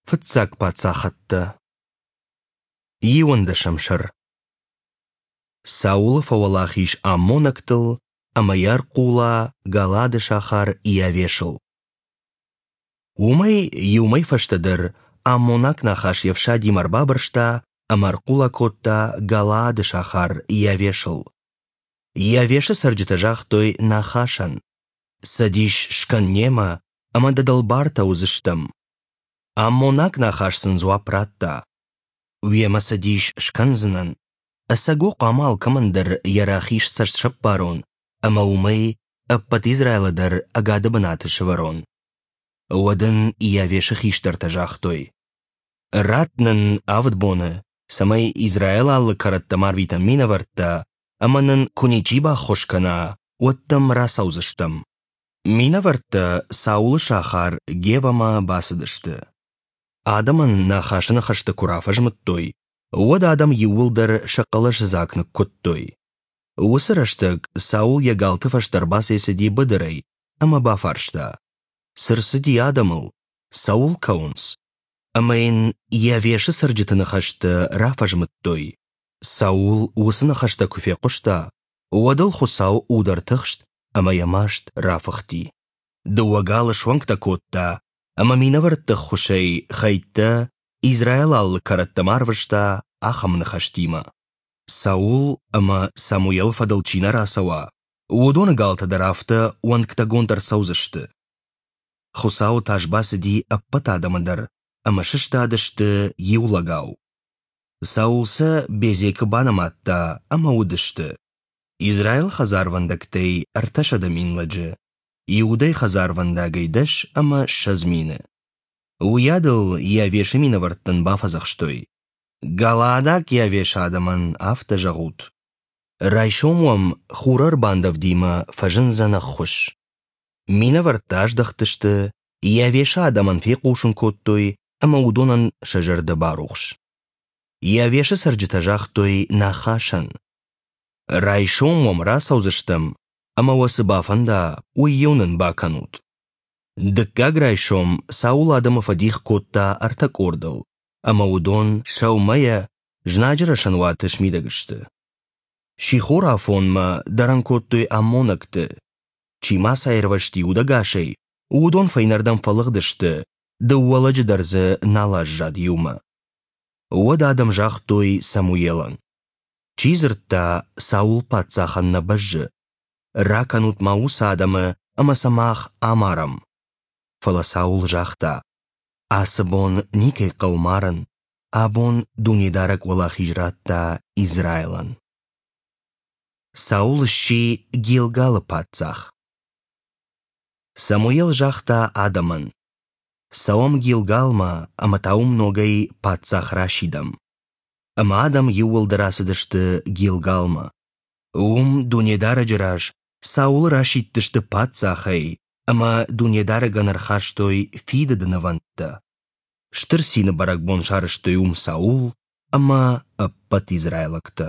Фыццаг паддзахӕдтӕ. Иуӕндӕсӕм сӕр. Саулы фӕуӕлахиз аммонӕгтыл ӕмӕ йӕ ӕрхъула Галаады сахар Иавешыл. Уымӕй иу мӕй фӕстӕдӕр аммонаг Нахаш йе фсадимӕ ӕрбабырста ӕмӕ ӕрхъула кодта Галаады сахар Иавешыл. Иавешы цӕрджытӕ загътой Нахашӕн: «Цӕдис скӕн немӕ, ӕмӕ дӕ дӕлбартӕ уыдзыстӕм». Аммонаг Нахаш сын дзуапп радта: «Уемӕ цӕдис скӕндзынӕн. Ӕцӕг уӕ хъуамӕ алкӕмӕн дӕр йӕ рахиз цӕст сӕппарон ӕмӕ уымӕй ӕппӕт Израилы дӕр ӕгады бынаты сӕвӕрон». Уӕд ын Иавешы хистӕртӕ загътой: «Ратт нын авд боны, цӕмӕй Израилы алы кӕрӕттӕм арвитӕм минӕвӕрттӕ, ӕмӕ нын куы ничи баххуыс кӕна, уӕд дӕм рацӕудзыстӕм». Минӕвӕрттӕ Саулы сахар Гевӕмӕ бацыдысты. Адӕмӕн Нахасы ныхӕстӕ куы рафӕзмыдтой, уӕд адӕм иууылдӕр сӕ хъӕлӕсыдзаг ныккуыдтой. Уыцы рӕстӕг Саул йӕ галты фӕстӕ ӕрбацӕйцыди быдырӕй ӕмӕ бафарста: Цы рцыди адӕмыл, цӕуыл кӕуынц? Ӕмӕ йын Иавешы цӕрджыты ныхӕстӕ рафӕзмыдтой. Саул уыцы ныхӕстӕ куы фехъуыста, уӕд ыл Хуыцау уд ӕртыхст ӕмӕ йӕ маст рафыхти. Дыууӕ галы суӕнгтӕ кодта ӕмӕ минӕвӕртты ӕххуысӕй хӕйттӕ Израилы алы кӕрӕттӕм арвыста ахӕм ныхӕстимӕ: Саул ӕмӕ Самуелы фӕдыл чи нӕ рацӕуа, уыдоны галтӕ дӕр афтӕ уӕнгтӕгонд ӕрцӕудзысты. Хуыцауы тас бацыди ӕппӕт адӕмы дӕр ӕмӕ сыстадысты иу лӕгау. Саул сӕ Безекы банымадта ӕмӕ уыдысты Израилы хӕдзарвӕндӕгтӕй 300 000 лӕджы, Иудӕйы хӕдзарвӕндагӕй 20 000. Уыйадыл Иавешы минӕвӕрттӕн бафӕдзӕхстой: Галаадаг Иавешы адӕмӕн афтӕ зӕгъут: Райсом уӕм хурӕрбандӕвдимӕ фӕзындзӕн ӕххуыс. Минӕвӕрттӕ аздӕхтысты, Иавешы адӕмӕн фехъусын кодтой ӕмӕ уыдонӕн сӕ зӕрдӕ барухс. Иавешы цӕрджытӕ загътой Нахашӕн: Райсом уӕм рацӕудзыстӕм, ӕмӕ уӕ цы бафӕнда, уый-иу нын бакӕнут. Дыккаг райсом Саул адӕмы фӕдих кодта ӕртӕ къордыл, ӕмӕ уыдон сӕумӕйӕ знаджы рӕсӕнуаты смидӕг сты. Сихорафонмӕ дӕрӕн кодтой аммонӕгты. Чи ма сӕ аирвӕзти удӕгасӕй, уыдон фӕйнӕрдӕм фӕлыгъдысты, дыууӕ лӕджы дӕр дзы нал аззад иумӕ. Уӕд адӕм загътой Самуелӕн: Чи дзырдта, Саул паддзахӕн нӕ бӕззы? Ракӕнут-ма уыцы адӕмы ӕмӕ сӕ мах амарӕм. Фӕлӕ Саул загъта: Ацы бон никӕй хъӕуы марын, абон Дунедарӕг уӕлахиз радта Израилӕн. Саул сси Гилгалы паддзах. Самуел загъта адӕмӕн: Цӕуӕм Гилгалмӕ ӕмӕ та уым ногӕй паддзах расидӕм. Ӕмӕ адӕм иууылдӕр ацыдысты Гилгалмӕ. Уым Дунедарӕджы раз Саулы расидтысты паддзахӕй ӕмӕ Дунедарӕгӕн ӕрхастой фидыды нывӕндтӕ. Стыр цины бӕрӕгбон сарӕзтой уым Саул ӕмӕ ӕппӕт израилӕгтӕ.